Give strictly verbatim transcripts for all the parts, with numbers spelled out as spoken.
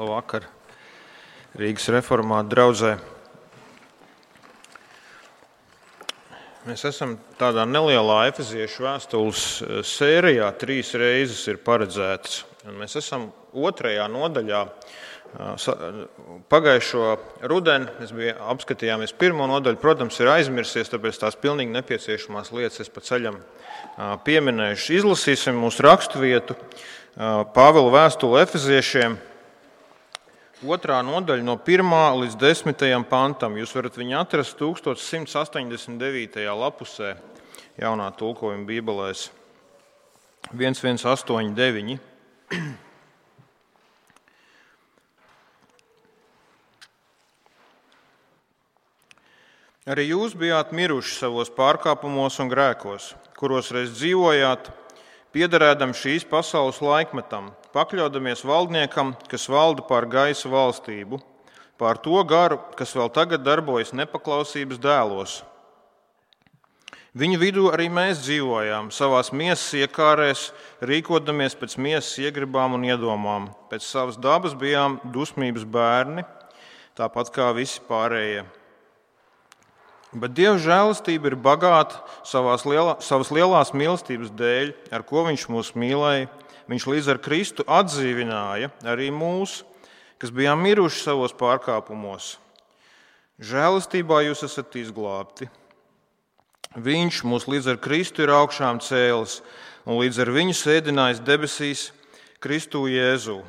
Labvakar Rīgas reformātu draudzē. Mēs esam tādā nelielā Efeziešu vēstules sērijā, trīs reizes ir paredzētas. Un mēs esam otrajā nodaļā. Pagājušo rudeni mēs bija, apskatījāmies pirmo nodaļu, protams, ir aizmirsies, tāpēc tās pilnīgi nepieciešamās lietas es pa ceļam pieminējuši. Izlasīsim mūsu raksturvietu Pāvila vēstuli Efeziešiem. Otrā nodaļa no pirmā līdz desmitajam pantam. Jūs varat viņu atrast tūkstoš simts astoņdesmit devītajā lapusē jaunā tulkojuma bībelēs. viens viens astoņi deviņi. Arī jūs bijāt miruši savos pārkāpumos un grēkos, kuros reiz dzīvojāt, piederēdam šīs pasaules laikmetam, pakļaudamies valdniekam, kas valda pār gaisa valstību, pār to garu, kas vēl tagad darbojas nepaklausības dēlos. Viņu vidū arī mēs dzīvojām, savās miesas iekārēs, rīkodamies pēc miesas iegribām un iedomām. Pēc savas dabas bijām dusmības bērni, tāpat kā visi pārējie. Bet Dieva žēlastība ir bagāta savās lielā, savas lielās mīlestības dēļ, ar ko Viņš mūs mīlēja. Viņš līdz ar Kristu atdzīvināja arī mūs, kas bijām miruši savos pārkāpumos. Žēlastībā jūs esat izglābti. Viņš mūs līdz ar Kristu ir augšām cēlis un līdz ar viņu sēdinājis debesīs Kristu Jēzu,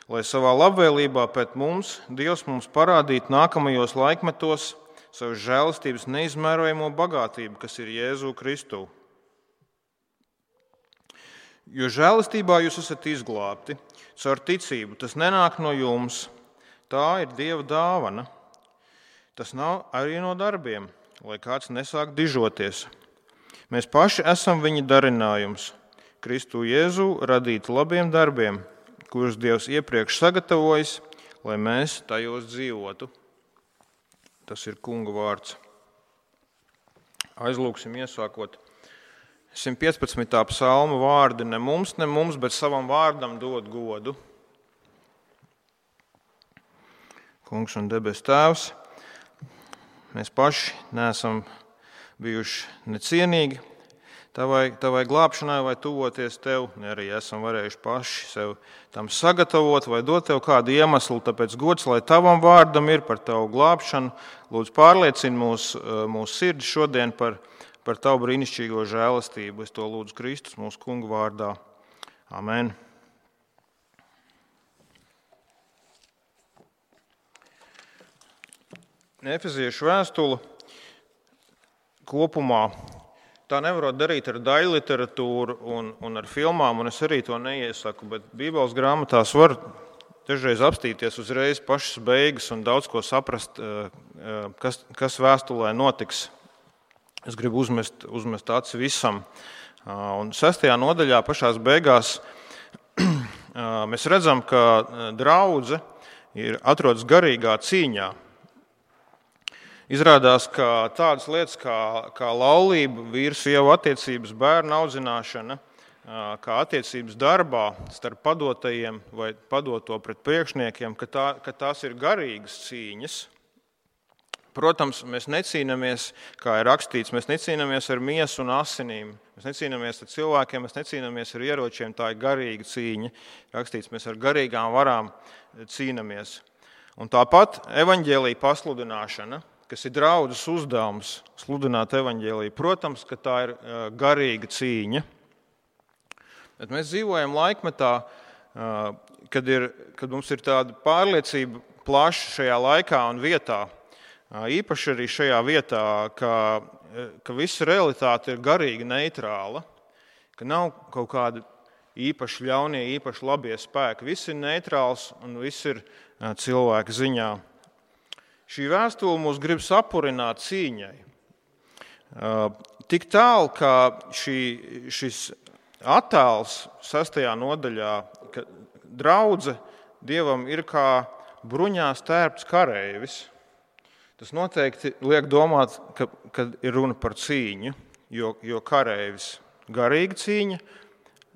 lai savā labvēlībā pēc mums Dievs mums parādītu nākamajos laikmetos savas žēlastības neizmērojamo bagātību, kas ir Jēzu Kristu. Jo žēlastībā jūs esat izglābti caur ticību. Tas nenāk no jums, tā ir Dieva dāvana. Tas nav arī no darbiem, lai kāds nesāk dižoties. Mēs paši esam viņa darinājums, Kristu Jēzu radīti labiem darbiem, kurus Dievs iepriekš sagatavojis, lai mēs tajos dzīvotu. Tas ir Kunga vārds. Aizlūksim iesākot simt piecpadsmitā psalma vārdi. Ne mums, ne mums, bet savam vārdam dod godu. Kungs un debes Tēvs, mēs paši neesam bijuši necienīgi tavai, tavai glābšanai vai tuvoties Tev, ne arī esam varējuši paši sev tam sagatavot vai dot Tev kādu iemeslu, tāpēc gods, lai Tavam vārdam ir par Tavu glābšanu. Lūdzu, pārliecini mūsu mūs sirdi šodien par, par Tavu brīnišķīgo žēlastību. Es to lūdzu Kristus mūsu Kunga vārdā. Amen. Efeziešu vēstule kopumā. Tā nevarot darīt ar daļu literatūru un, un ar filmām, un es arī to neiesaku, bet Bībeles grāmatās var dažreiz apstīties uzreiz pašas beigas un daudz ko saprast, kas, kas vēstulē notiks. Es gribu uzmest, uzmest aci visam. Un sestajā nodaļā pašās beigās mēs redzam, ka draudze ir atrodas garīgā cīņā. Izrādās, ka tādas lietas kā, kā laulība, vīru-sievu attiecības, bērnu audzināšana, kā attiecības darbā starp padotajiem vai padoto pret priekšniekiem, ka, tā, ka tās ir garīgas cīņas. Protams, mēs necīnāmies, kā ir rakstīts, mēs necīnāmies ar miesu un asinīm, mēs necīnāmies ar cilvēkiem, mēs necīnāmies ar ieročiem, tā ir garīga cīņa. Rakstīts, mēs ar garīgām varām cīnāmies. Un tāpat evaņģēlija pasludināšana, kas ir draudzes uzdevums sludināt evaņģēliju. Protams, ka tā ir garīga cīņa. Bet mēs dzīvojam laikmetā, kad, ir, kad mums ir tāda pārliecība plaša šajā laikā un vietā. Īpaši arī šajā vietā, ka, ka visa realitāte ir garīgi neitrāla, ka nav kaut kādi īpaši ļaunie, īpaši labie spēki. Viss ir neitrāls un viss ir cilvēka ziņā. Šī vēstule mūs grib sapurināt cīņai. Tik tālu, ka šī, šis attēls sastajā nodaļā, ka draudze Dievam ir kā bruņās tērpts kareivis, tas noteikti liek domāt, ka, ka ir runa par cīņu, jo, jo kareivis garīga cīņa,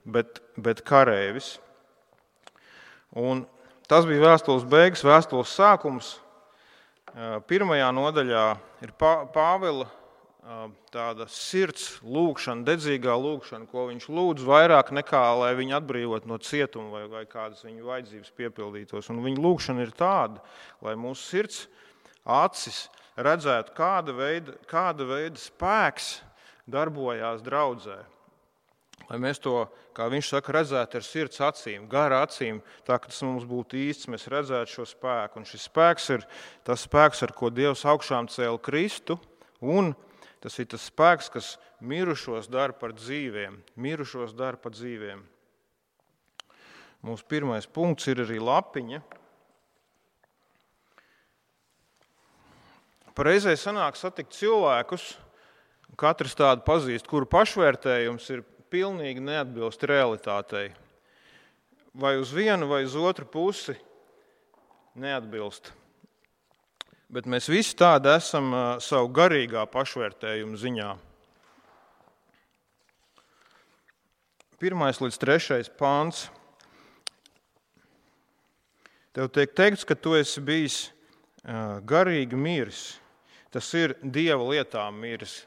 bet, bet kareivis. Un tas bija vēstules beigas, vēstules sākums. Pirmajā nodaļā ir Pāvila tāda sirds lūgšana, dedzīgā lūgšana, ko viņš lūdz vairāk nekā, lai viņu atbrīvot no cietuma vai, vai kādas viņu vajadzības piepildītos. Un viņa lūgšana ir tāda, lai mūsu sirds acis redzētu, kāda veida, kāda veida spēks darbojās draudzē. Lai mēs to, kā viņš saka, redzētu ar sirds acīm, gara acīm, tā, ka tas mums būtu īsts, mēs redzētu šo spēku. Un šis spēks ir tas spēks, ar ko Dievs augšām cēla Kristu, un tas ir tas spēks, kas mirušos dara par dzīviem. Mirušos dara par dzīviem. Mūsu pirmais punkts ir arī lapiņa. Pareizai sanāk satikt cilvēkus, katrs tādu pazīst, kuru pašvērtējums ir pilnīgi neatbilst realitātei. Vai uz vienu, vai uz otru pusi neatbilst. Bet mēs visi tādi esam savu garīgā pašvērtējumu ziņā. Pirmais līdz trešais pāns. Tev tiek teikts, ka tu esi bijis garīgi miris. Tas ir Dieva lietām miris.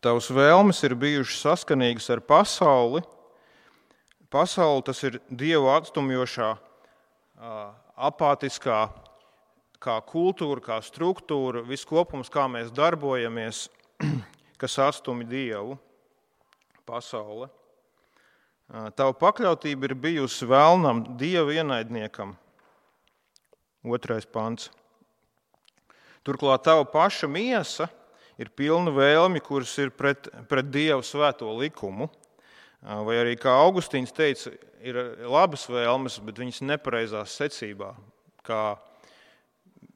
Tavas vēlmes ir bijušas saskanīgas ar pasauli. Pasauli tas ir Dievu atstumjošā, apātiskā, kā kultūra, kā struktūra, viss kopums, kā mēs darbojamies, kas atstumi Dievu, pasaule. Tava pakļautība ir bijusi vēlnam, Dieva ienaidniekam. Otrais pants. Turklāt tava paša miesa ir pilna vēlmi, kuras ir pret, pret Dievu svēto likumu. Vai arī, kā Augustīns teica, ir labas vēlmes, bet viņas nepareizās secībā. Kā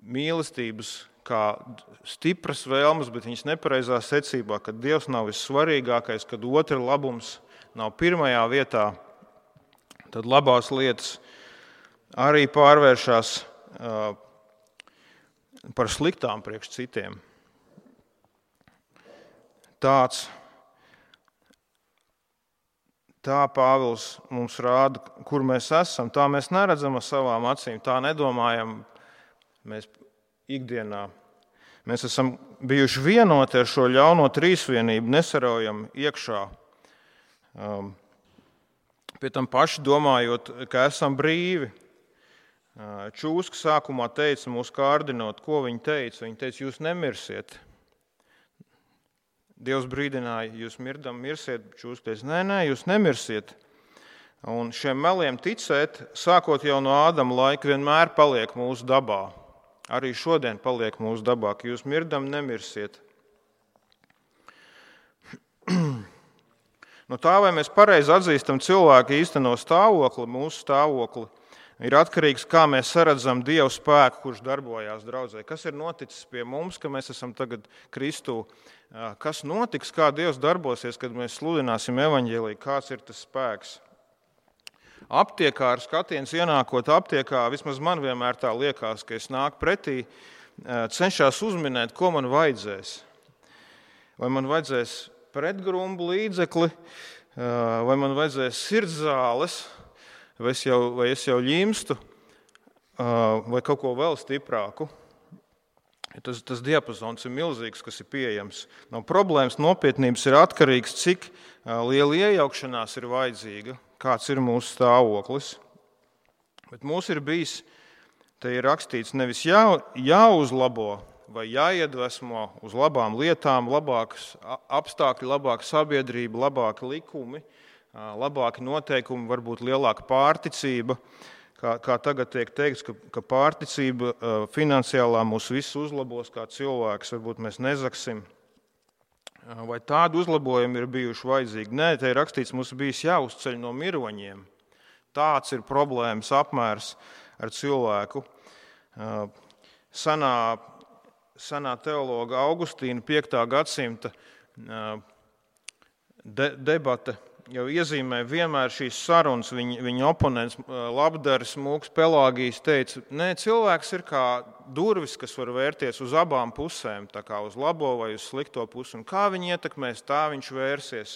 mīlestības, kā stipras vēlmes, bet viņas nepareizā secībā, kad Dievs nav vissvarīgākais, kad otra labums nav pirmajā vietā, tad labās lietas arī pārvēršas uh, par sliktām priekš citiem. Tāds, tā Pāvils mums rāda, kur mēs esam, tā mēs neredzam ar savām acīm, tā nedomājam mēs ikdienā. Mēs esam bijuši vienoti ar šo ļauno trīsvienību, nesaraujam iekšā. Um, pie tam paši domājot, ka esam brīvi. Uh, Čūska sākumā teica, mūs kārdinot, ko viņa teica. Viņa teica, jūs nemirsiet. Dievs brīdināja, jūs mirdam, mirsiet. Čūska teica, nē, nē, jūs nemirsiet. Un šiem meliem ticēt, sākot jau no Ādama laika, vienmēr paliek mūsu dabā. Arī šodien paliek mūsu dabā, ka jūs mirdam, nemirsiet. No tā, vai mēs pareizi atzīstam cilvēku īsteno stāvokli, mūsu stāvokli, ir atkarīgs, kā mēs saredzam Dievu spēku, kurš darbojās draudzē. Kas ir noticis pie mums, ka mēs esam tagad Kristū? Kas notiks, kā Dievs darbosies, kad mēs sludināsim evaņģēliju? Kāds ir tas spēks? Aptiekā ar skatiens ienākot aptiekā, vismaz man vienmēr tā liekas, ka es nāku pretī, cenšos uzminēt, ko man vajadzēs. Vai man vajadzēs pretgrumbu līdzekli, vai man vajadzēs sirdzāles, vai es jau, vai es jau ļimstu, vai kaut ko vēl stiprāku. Tas, tas diapazons ir milzīgs, kas ir pieejams. No problēmas nopietnības ir atkarīgs, cik liela iejaukšanās ir vajadzīga, kāds ir mūsu stāvoklis. Bet mums ir bijis, te ir rakstīts, nevis jā, jāuzlabo vai jāiedvesmo uz labām lietām, labākas apstākļi, labāka sabiedrība, labāki likumi, labāki noteikumi, varbūt lielāka pārticība. Kā, kā tagad tiek teikts, ka, ka pārticība finansiālā mūs visus uzlabos kā cilvēks, varbūt mēs nezaksim. Vai tādu uzlabojumu ir bijuši vajadzīgi? Nē, te ir rakstīts, mums bijis jāuzceļ no miroņiem. Tāds ir problēmas apmērs ar cilvēku. Sanā, sanā teologa Augustīna piektā gadsimta de, debata jau iezīmē vienmēr šīs sarunas. Viņa, viņa oponents Labdaris Mūks Pelāgijs teica, nē, cilvēks ir kā durvis, kas var vērties uz abām pusēm, tā kā uz labo vai uz slikto pusi. Un kā viņi ietekmēs, tā viņš vērsies.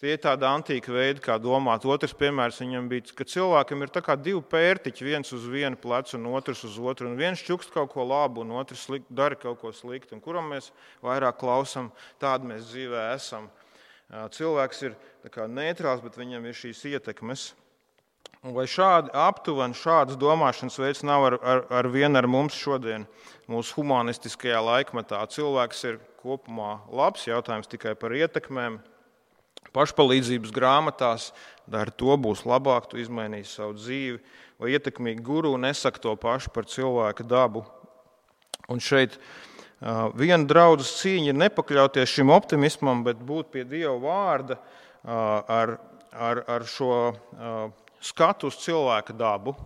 Tie ir tādi antīki veidi, kā domāt. Otrs piemērs viņam bija, ka cilvēkam ir tā kā divi pērtiķi, viens uz vienu plecu un otrs uz otru. Un viens čukst kaut ko labu, un otrs slikt, dara kaut ko sliktu. Un kuram mēs vairāk klausam, tādi mēs dzīvē esam. Cilvēks ir tā kā neitrāls, bet viņam ir šīs ietekmes. Un vai šādi aptuveni, šādas domāšanas veids nav ar, ar, ar vienu ar mums šodien, mūsu humanistiskajā laikmetā? Cilvēks ir kopumā labs, jautājums tikai par ietekmēm. Pašpalīdzības grāmatās dari to, būs labāk, tu izmainīsi savu dzīvi, vai ietekmīgi guru nesaka to pašu par cilvēka dabu. Un šeit uh, viena draudzes cīņa ir nepakļauties šim optimismam, bet būt pie Dieva vārda uh, ar, ar, ar šo uh, skatu uz cilvēka dabu.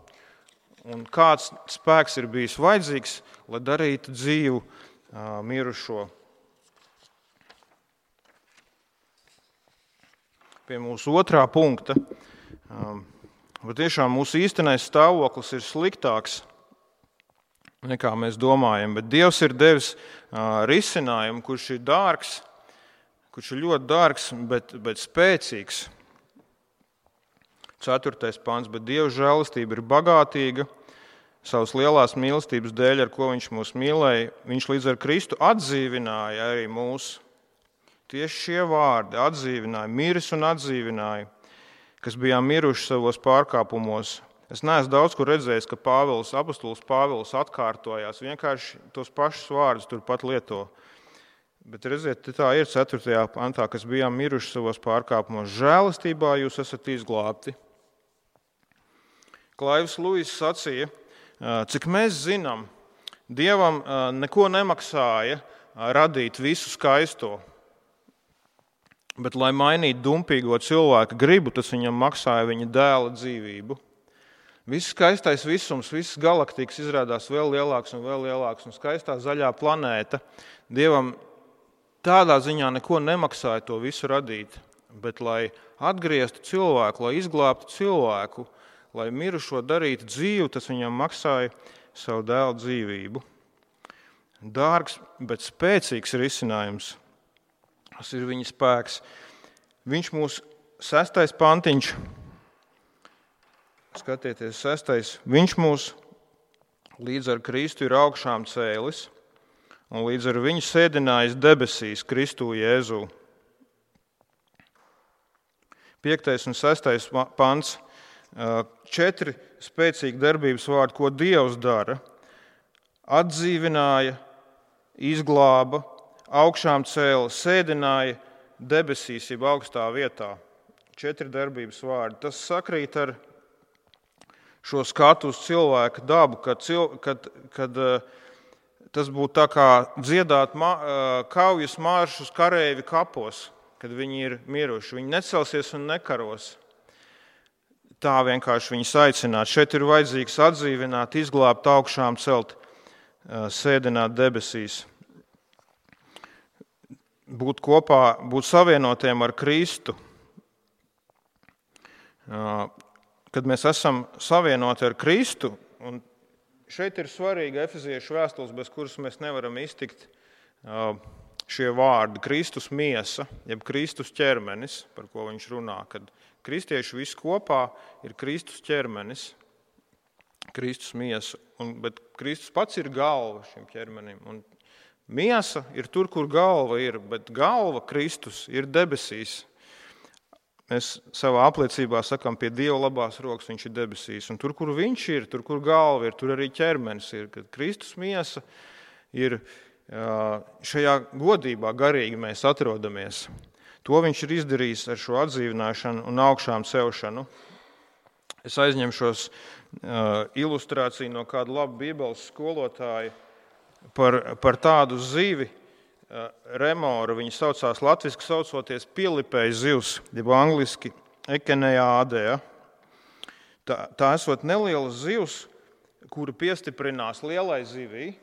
Un kāds spēks ir bijis vajadzīgs, lai darītu dzīvu uh, mirušo. Pie mūsu otrā punkta. Bet tiešām mūsu īstenais stāvoklis ir sliktāks nekā mēs domājam, bet Dievs ir devis risinājumu, kurš ir dārgs, kurš ir ļoti dārgs, bet, bet spēcīgs. Ceturtais pants, bet Dieva žēlastība ir bagātīga, savas lielās mīlestības dēļ, ar ko viņš mūs mīlēja, viņš līdz ar Kristu atdzīvināja arī mūsu. Tieši šie vārdi atdzīvināja, miris un atdzīvināja, kas bijām miruši savos pārkāpumos. Es neesmu daudz kur redzējis, ka Pāvils, apostols Pāvils atkārtojās, vienkārši tos pašus vārdus turpat lieto. Bet redziet, tā ir ceturtajā pantā, kas bijām miruši savos pārkāpumos. Žēlastībā jūs esat izglābti. Klaivs Luis sacīja, cik mēs zinām, Dievam neko nemaksāja radīt visu skaisto. Bet, lai mainītu dumpīgo cilvēku gribu, tas viņam maksāja viņa dēla dzīvību. Viss skaistais visums, visas galaktikas izrādās vēl lielāks un vēl lielāks, un skaistā zaļā planēta Dievam tādā ziņā neko nemaksāja to visu radīt. Bet, lai atgrieztu cilvēku, lai izglābtu cilvēku, lai mirušo darītu dzīvu, tas viņam maksāja savu dēla dzīvību. Dārgs, bet spēcīgs risinājums. Tas ir viņa spēks. Viņš mūsu sestais pantiņš, skatieties, sestais, viņš mūs līdz ar Kristu ir augšām cēlis un līdz ar viņu sēdinājis debesīs Kristū Jēzū. Piektais un sestais pants, četri spēcīgi darbības vārdi, ko Dievs dara. Atdzīvināja, izglāba, augšām cēla, sēdināja debesīs, jeb augstā vietā. Četri darbības vārdi. Tas sakrīt ar šo skatu uz cilvēka dabu, kad, kad, kad tas būtu tā kā dziedāt kaujas maršus kareivi kapos, kad viņi ir miruši. Viņi necelsies un nekaros. Tā vienkārši viņus aicināt. Šeit ir vajadzīgs atdzīvināt, izglābt, augšām celt, sēdināt debesīs. Būt kopā, būt savienotiem ar Kristu. Kad mēs esam savienoti ar Kristu, un šeit ir svarīga Efeziešu vēstules, bez kuras mēs nevaram iztikt šie vārdi. Kristus miesa, jeb Kristus ķermenis, par ko viņš runā, kad kristieši visi kopā ir Kristus ķermenis, Kristus miesa, un, bet Kristus pats ir galva šim ķermenim. Un miesa ir tur, kur galva ir, bet galva Kristus ir debesīs. Mēs savā apliecībā sakām, pie Dieva labās rokas viņš ir debesīs. Un tur, kur viņš ir, tur, kur galva ir, tur arī ķermenis ir. Kad Kristus miesa ir šajā godībā garīgi mēs atrodamies. To viņš ir izdarījis ar šo atdzīvināšanu un augšām celšanu. Es aizņemšos ilustrāciju no kāda laba bībeles skolotāja par, par tādu zivi, remoru, viņa saucās latviski saucoties pielipējas zivs, jeb angliski ekenejādea. Tā, tā esot neliela zivs, kura piestiprinās lielai zivī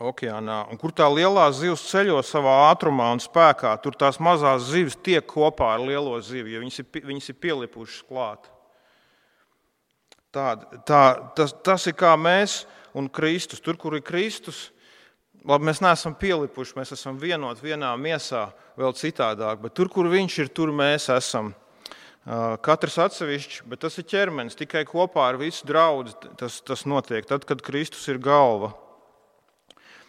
okeānā, un kur tā lielā zivs ceļo savā ātrumā un spēkā, tur tās mazās zivis tiek kopā ar lielo zivi, jo viņas ir, viņas ir pielipušas klāt. Tā, tā, tas, tas ir kā mēs un Kristus. Tur, kur ir Kristus, labi, mēs neesam pielipuši, mēs esam vienot vienā miesā, vēl citādāk, bet tur, kur viņš ir, tur mēs esam. Katrs atsevišķi, bet tas ir ķermenis, tikai kopā ar visu draudzi tas, tas notiek. Tad, kad Kristus ir galva,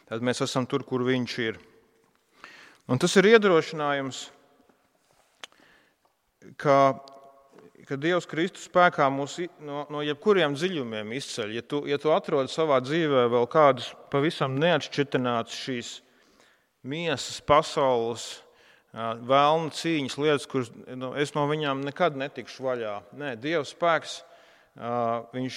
tad mēs esam tur, kur viņš ir. Un tas ir iedrošinājums, ka, ka Dievs Kristus spēkā mūs no, no jebkuriem dziļumiem izceļ. Ja tu, ja tu atrodi savā dzīvē vēl kādus pavisam neatšķirtinātus šīs miesas, pasaules, vēlna cīņas lietas, kuras nu, es no viņām nekad netikšu vaļā. Nē, Dieva spēks, viņš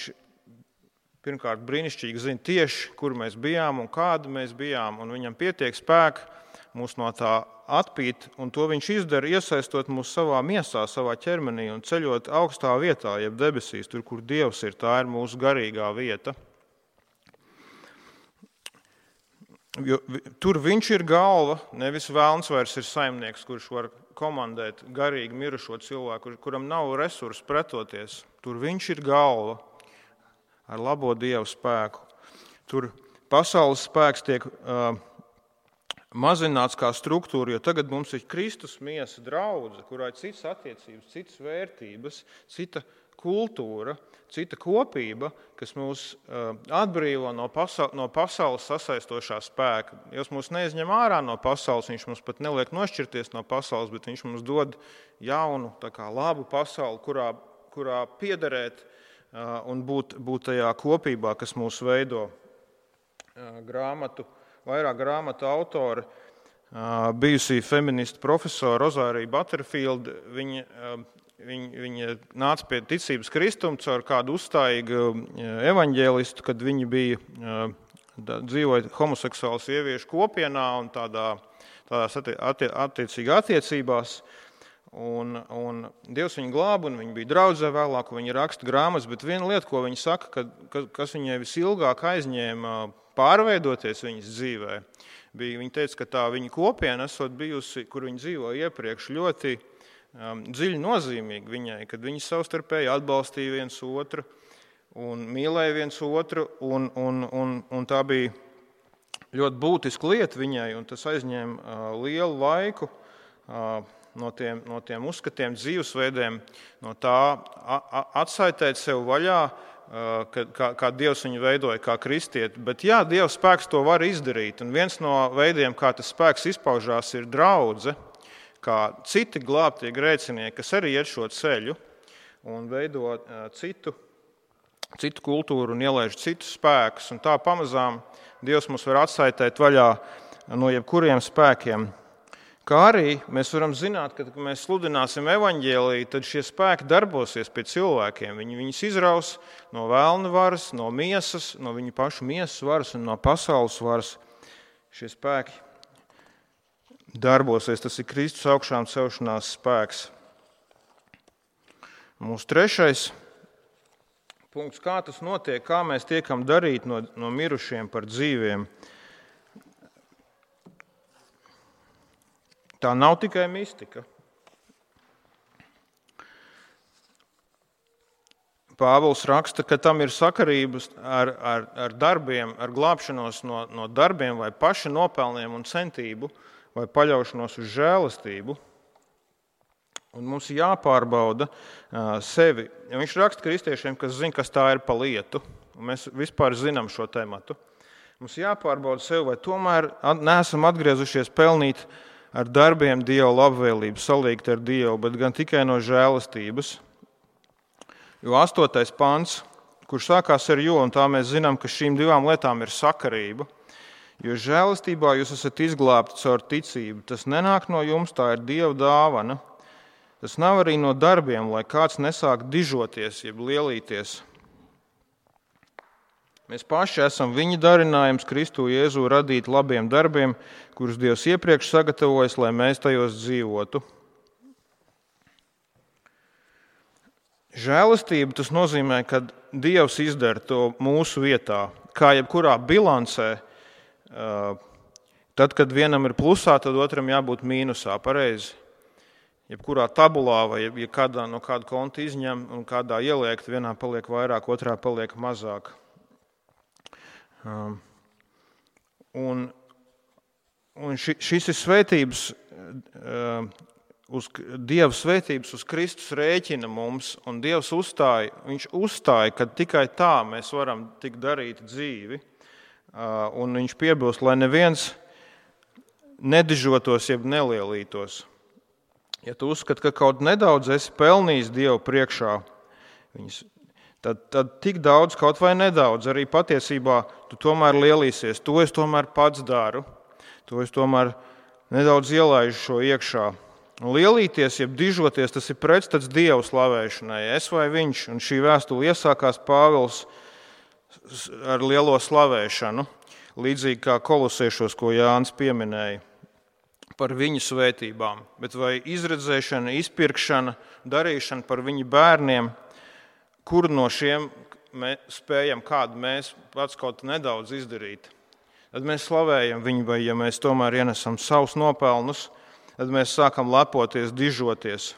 pirmkārt brīnišķīgi zina tieši, kur mēs bijām un kāda mēs bijām, un viņam pietiek spēka mūs no tā atpīt, un to viņš izdara, iesaistot mūs savā miesā, savā ķermenī un ceļot augstā vietā, jeb debesīs, tur, kur Dievs ir, tā ir mūsu garīgā vieta. Jo, tur viņš ir galva, nevis vēlns vairs ir saimnieks, kurš var komandēt garīgi mirušo cilvēku, kuram nav resursu pretoties. Tur viņš ir galva ar labo Dievu spēku. Tur pasaules spēks tiek uh, mazināts kā struktūra, jo tagad mums ir Kristus miesa draudze, kurā ir citas attiecības, citas vērtības, cita kultūra, cita kopība, kas mūs atbrīvo no, pasaul, no pasaules sasaistošā spēka. Dievs mūs neizņem ārā no pasaules, viņš mums pat neliek nošķirties no pasaules, bet viņš mums dod jaunu, tā kā labu pasauli, kurā, kurā piederēt un būt, būt tajā kopībā, kas mūs veido. Grāmatu, vairāk grāmatu autori, bijusī feministu profesora Rozārija Butterfield, viņa Viņa, viņa nāca pie ticības kristuma caur kādu uzstājīgu evaņģēlistu, kad viņi bija dzīvoja homoseksuālu sieviešu kopienā un tādā, tādās attie, attiecīgi attiecībās. Un, un Dievs viņu glāba, un viņi bija draudzē vēlāk, un viņi raksta grāmatas, bet viena lieta, ko viņi saka, ka, kas viņai visilgāk aizņēma pārveidoties viņas dzīvē, bija, viņa teica, ka tā viņa kopiena esot bijusi, kur viņa dzīvoja iepriekš, ļoti Um, dziļi nozīmīgi viņai, kad viņi savstarpēji atbalstīja viens otru un mīlēja viens otru, un, un, un, un tā bija ļoti būtiska lieta viņai, un tas aizņēma uh, lielu laiku uh, no, tiem, no tiem uzskatiem, dzīvesveidiem, no tā a, a, atsaitēt sev vaļā, uh, kad, kā, kā Dievs viņu veidoja kā kristieti. Bet jā, Dieva spēks to var izdarīt, un viens no veidiem, kā tas spēks izpaužās, ir draudze, kā citi glābtie grēcinieki, kas arī iet šo ceļu un veido citu, citu kultūru un ielaiž citus spēkus. Un tā pamazām Dievs mūs var atsaitēt vaļā no jebkuriem spēkiem. Kā arī mēs varam zināt, ka, kad mēs sludināsim evaņģēliju, tad šie spēki darbosies pie cilvēkiem. Viņi viņus izraus no vēlna varas, no miesas, no viņu pašu miesas varas un no pasaules varas. Šie spēki darbosies, tas ir Kristus augšām celšanās spēks. Mūsu trešais punkts, kā tas notiek, kā mēs tiekam darīt no, no mirušiem par dzīviem. Tā nav tikai mistika. Pāvils raksta, ka tam ir sakarības ar, ar, ar darbiem, ar glābšanos no, no darbiem vai paša nopelniem un centību, vai paļaušanos uz žēlastību, un mums ir jāpārbauda uh, sevi. Ja viņš raksta kristiešiem, kas zina, kas tā ir pa lietu, un mēs vispār zinām šo tematu. Mums jāpārbauda sevi, vai tomēr neesam atgriezušies pelnīt ar darbiem Dieva labvēlību, salīgt ar Dievu, bet gan tikai no žēlastības. Jo astotais pants, kurš sākās ar jo, un tā mēs zinām, ka šīm divām lietām ir sakarība, jo žēlastībā jūs esat izglābti caur ticību. Tas nenāk no jums, tā ir Dieva dāvana. Tas nav arī no darbiem, lai kāds nesāk dižoties, jeb lielīties. Mēs paši esam viņa darinājums Kristu Jēzu radīt labiem darbiem, kurus Dievs iepriekš sagatavojas, lai mēs tajos dzīvotu. Žēlastība tas nozīmē, ka Dievs izdara to mūsu vietā, kā jebkurā bilancē. Tad, kad vienam ir plusā, tad otram jābūt mīnusā, pareizi. Jebkurā tabulā vai ja kādā no kāda konta izņem un kādā ieliek, vienā paliek vairāk, otrā paliek mazāk. Un, un ši, šis ir svētības, uz, Dieva svētības uz Kristus rēķina mums, un Dievs uzstāja, viņš uzstāja, ka tikai tā mēs varam tik darīt dzīvi, un viņš piebilst, lai neviens nedižotos, jeb nelielītos. Ja tu uzskati, ka kaut nedaudz esi pelnījis Dievu priekšā, viņas, tad, tad tik daudz, kaut vai nedaudz, arī patiesībā tu tomēr lielīsies. To es tomēr pats daru, to es tomēr nedaudz ielaižu šo iekšā. Lielīties, jeb dižoties, tas ir pretstats Dievu slavēšanai, es vai viņš, un šī vēstule iesākās Pāvils ar lielo slavēšanu, līdzīgi kā Kolosiešos, ko Jānis pieminēja, par viņu svētībām, bet vai izredzēšana, izpirkšana, darīšana par viņu bērniem, kur no šiem mēs spējam kādu mēs pats kaut nedaudz izdarīt. Tad mēs slavējam viņu, vai ja mēs tomēr ienesam savus nopelnus, tad mēs sākam lepoties, dižoties.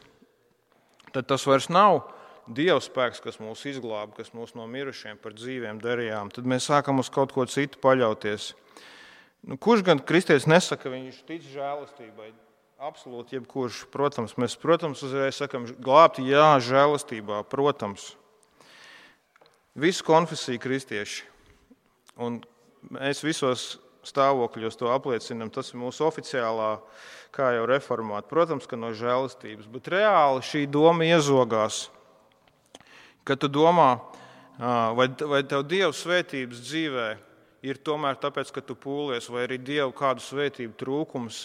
Tad tas vairs nav Dieva spēks, kas mūs izglāba, kas mūs no mirušiem par dzīviem darījām. Tad mēs sākam uz kaut ko citu paļauties. Nu, kurš gan kristietis nesaka, ka viņš tic žēlastībai? Absolūti jebkurš, protams. Mēs, protams, uzreiz sakam, glābti, jā, žēlastībā, protams. Visu konfesiju kristieši. Un mēs visos stāvokļos to apliecinam. Tas ir mūsu oficiālā, kā jau reformāta. Protams, ka no žēlastības. Bet reāli šī doma iezogās. Kad tu domā, vai, vai tev Dieva svētības dzīvē ir tomēr tāpēc, ka tu pūlies, vai arī Dievu kādu svētību trūkums,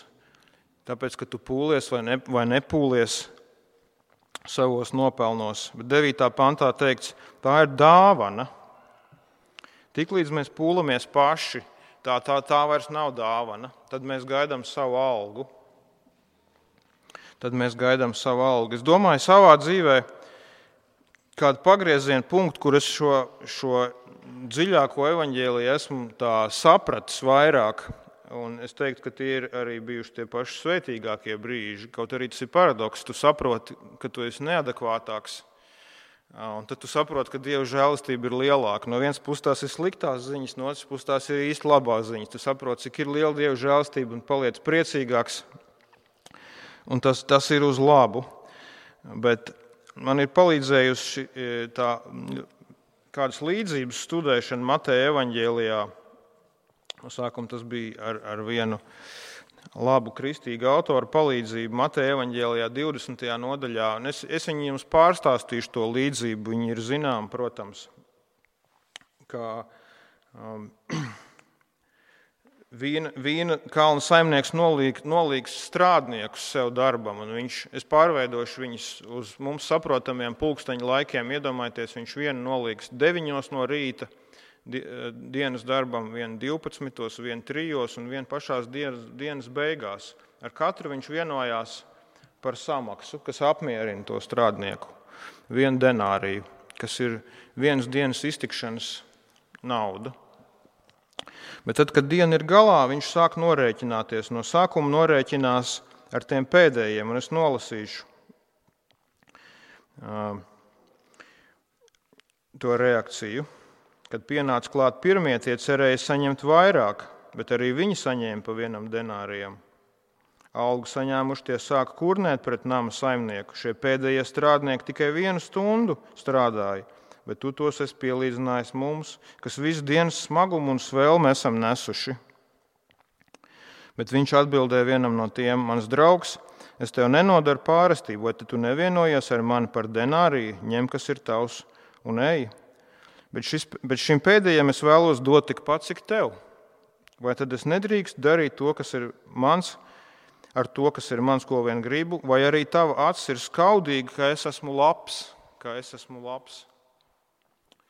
tāpēc, ka tu pūlies vai, ne, vai nepūlies savos nopelnos. Bet devītā pantā teikts, tā ir dāvana. Tiklīdz mēs pūlamies paši, tā, tā, tā vairs nav dāvana. Tad mēs gaidām savu algu. Tad mēs gaidām savu algu. Es domāju, savā dzīvē kādu pagriezienu punktu, kur es šo, šo dziļāko evaņģēliju esmu tā sapratis vairāk, un es teiktu, ka tie ir arī bijuši tie paši svētīgākie brīži. Kaut arī tas ir paradoks, tu saproti, ka tu esi neadekvātāks, un tad tu saproti, ka Dieva žēlastība ir lielāka. No vienas puses tās ir sliktās ziņas, no otras puses tās ir īsti labās ziņas. Tu saproti, cik ir liela Dieva žēlastība un paliec priecīgāks, un tas, tas ir uz labu. Bet man ir palīdzējusi tā kādas līdzības studēšana Mateja evaņģēlijā. No sākuma tas bija ar, ar vienu labu kristīgu autoru palīdzību Mateja evaņģēlijā divdesmitajā nodaļā. Un es, es viņu jums pārstāstīšu to līdzību, viņi ir zinām, protams, kā um, Vīna, vīna kalna saimnieks nolīg, nolīgs strādniekus sev darbam, un viņš, es pārveidošu viņus uz mums saprotamiem pulksteņu laikiem. Iedomājieties, viņš vienu nolīgs deviņos no rīta dienas darbam, vienu divpadsmitos, vienu trijos un vienu pašās dienas, dienas beigās. Ar katru viņš vienojās par samaksu, kas apmierina to strādnieku. Vienu denāriju, kas ir vienas dienas iztikšanas nauda. Bet tad, kad diena ir galā, viņš sāk norēķināties. No sākuma norēķinās ar tiem pēdējiem, un es nolasīšu uh, to reakciju. Kad pienāca klāt pirmie, tie cerēja saņemt vairāk, bet arī viņi saņēma pa vienam denārijam. Algu saņēmuši tie sāka kurnēt pret nama saimnieku. Šie pēdējie strādnieki tikai vienu stundu strādāja. Bet tu tos esi pielīdzinājis mums, kas visu dienas smagumu un svēlmu esam nesuši. Bet viņš atbildēja vienam no tiem, mans draugs, es tev nenodaru pārestību, vai tu nevienojies ar mani par denāriju, ņem, kas ir tavs, un ej. Bet, šis, bet šim pēdējiem es vēlos dot tikpat, cik tev. Vai tad es nedrīkstu darīt to, kas ir mans, ar to, kas ir mans, ko vien gribu, vai arī tava acis ir skaudīga, ka es esmu labs, ka es esmu labs.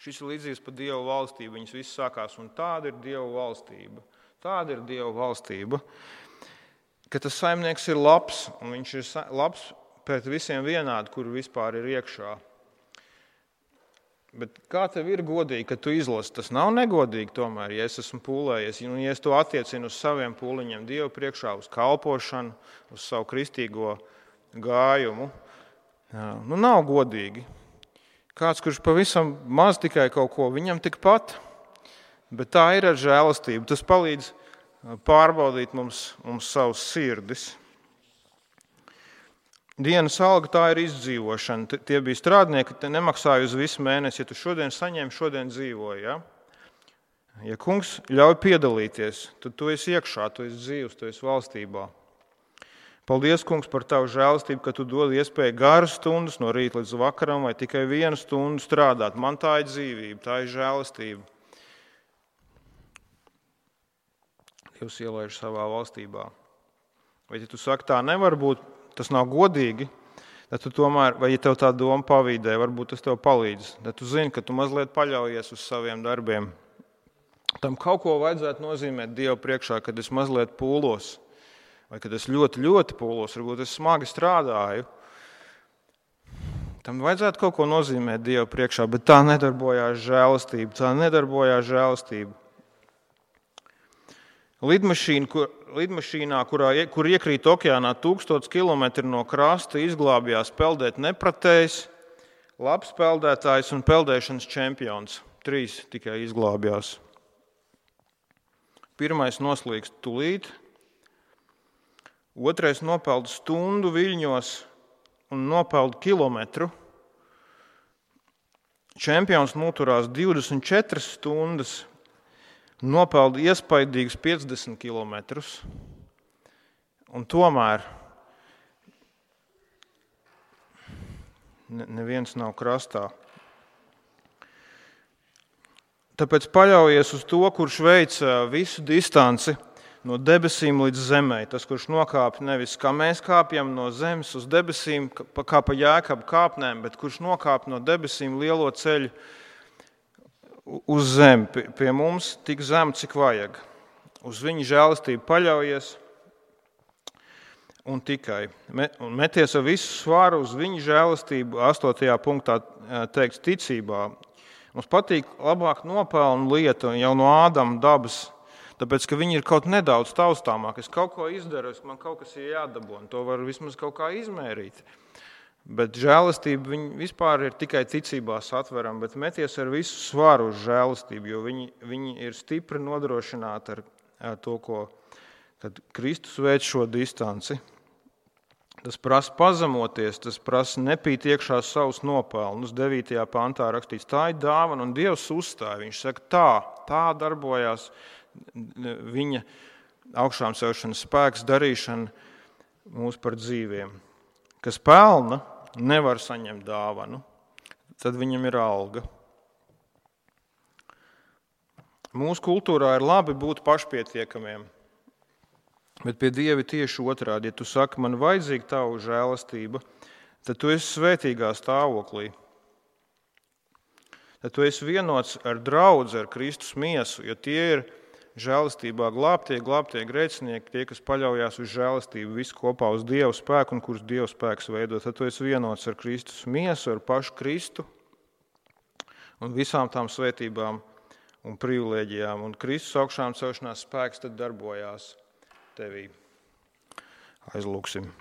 Šis ir līdzīgs par Dieva valstību. Viņas viss sākās, un tāda ir Dieva valstība. Tāda ir Dieva valstība, ka tas saimnieks ir labs, un viņš ir labs pret visiem vienādi, kur vispār ir iekšā. Bet kā tev ir godīgi, ka tu izlasi? Tas nav negodīgi tomēr, ja es esmu pūlējies, un ja es to attiecinu uz saviem pūliņiem Dievu priekšā, uz kalpošanu, uz savu kristīgo gājumu. Jā, nu nav godīgi. Kāds, kurš pavisam maz tikai kaut ko, viņam tikpat, bet tā ir ar žēlastību. Tas palīdz pārbaudīt mums, mums savus sirdis. Dienas alga tā ir izdzīvošana. Tie bija strādnieki, te nemaksāja uz visu mēnesi. Ja tu šodien saņem, šodien dzīvoji. Ja? Ja kungs ļauj piedalīties, tad tu esi iekšā, tu esi dzīvs, tu esi valstībā. Paldies, kungs, par tavu žēlastību, ka tu dod iespēju garas stundas no rīta līdz vakaram vai tikai vienu stundu strādāt. Man tā ir dzīvība, tā ir žēlastība. Dievs ielaiž savā valstībā. Vai ja tu saki, tā nevar būt, tas nav godīgi, tad tu tomēr, vai ja tev tā doma pavīdē, varbūt tas tev palīdz. Tad tu zini, ka tu mazliet paļaujies uz saviem darbiem. Tam kaut ko vajadzētu nozīmēt Dievu priekšā, kad es mazliet pūlos. Vai kad es ļoti, ļoti pūlos, varbūt es smagi strādāju. Tam vajadzētu kaut ko nozīmēt Dievu priekšā, bet tā nedarbojās žēlastība. Tā nedarbojās žēlastība. Lidmašīna, kur, lidmašīnā, kurā, kur iekrīt okeānā tūkstots kilometri no krasta, izglābjās peldēt nepratējs, labs peldētājs un peldēšanas čempions. Trīs tikai izglābjās. Pirmais noslīkst tulīt. Otrais nopeld stundu viļņos un nopeld kilometru. Čempions noturās divdesmit četras stundas, nopeld iespaidīgus piecdesmit kilometrus. Un tomēr neviens nav krastā. Tāpēc paļaujies uz to, kurš veic visu distanci no debesīm līdz zemē. Tas, kurš nokāp nevis kā mēs kāpjam no zemes uz debesīm, kā pa Jēkabu kāpnēm, bet kurš nokāp no debesīm lielo ceļu uz zemi. Pie mums tik zem, cik vajag. Uz viņa žēlastību paļaujies un tikai. Un meties ar visu svaru uz viņa žēlastību, astotajā punktā teikts ticībā. Mums patīk labāk nopelnu lietu jau no Ādama dabas, tāpēc, ka viņi ir kaut nedaudz taustāmāk. Es kaut ko izdaru, man kaut kas ir jādabū, un to var vismaz kaut kā izmērīt. Bet žēlastība viņi vispār ir tikai ticībā satverama, bet meties ar visu svaru uz žēlastību, jo viņi, viņi ir stipri nodrošināti ar, ar to, ko, kad Kristus veic šo distanci. Tas prasa pazemoties, tas prasa nepīt iekšā savus nopelnus. devītajā pantā rakstīts, tā ir dāvana, un Dievs uzstāja. Viņš saka, tā, tā darbojās viņa augšām celšanas spēks, darīšana mūs par dzīviem. Kas pelna, nevar saņemt dāvanu, tad viņam ir alga. Mūsu kultūrā ir labi būt pašpietiekamiem, bet pie Dieva tieši otrādi. Ja tu saki, man vajadzīga tavu žēlastība, tad tu esi svētīgā stāvoklī. Tad tu esi vienots ar draudzi, ar Kristus miesu, jo tie ir žēlastībā glābtie, glābtie grēcinieki, tie, kas paļaujās uz žēlastību, visu kopā uz Dieva spēku un kurus Dieva spēks veido. Tad tu esi vienots ar Kristus miesu, ar pašu Kristu un visām tām svētībām un privilēģijām. Un Kristus augšām celšanās spēks tad darbojās tevī. Aizlūksim.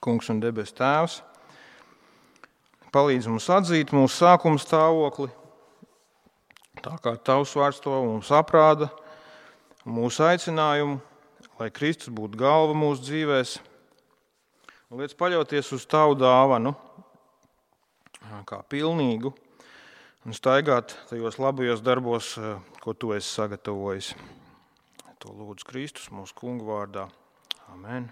Kungs un debes Tēvs, palīdz mums atzīt mūsu sākuma stāvokli, tā kā Tavs vārds to mums aprāda, mūsu aicinājumu, lai Kristus būtu galva mūsu dzīvēs, un liec paļauties uz Tavu dāvanu, kā pilnīgu, un staigāt tajos labajos darbos, ko Tu esi sagatavojis. To lūdzu Kristus mūsu kungu vārdā. Amen.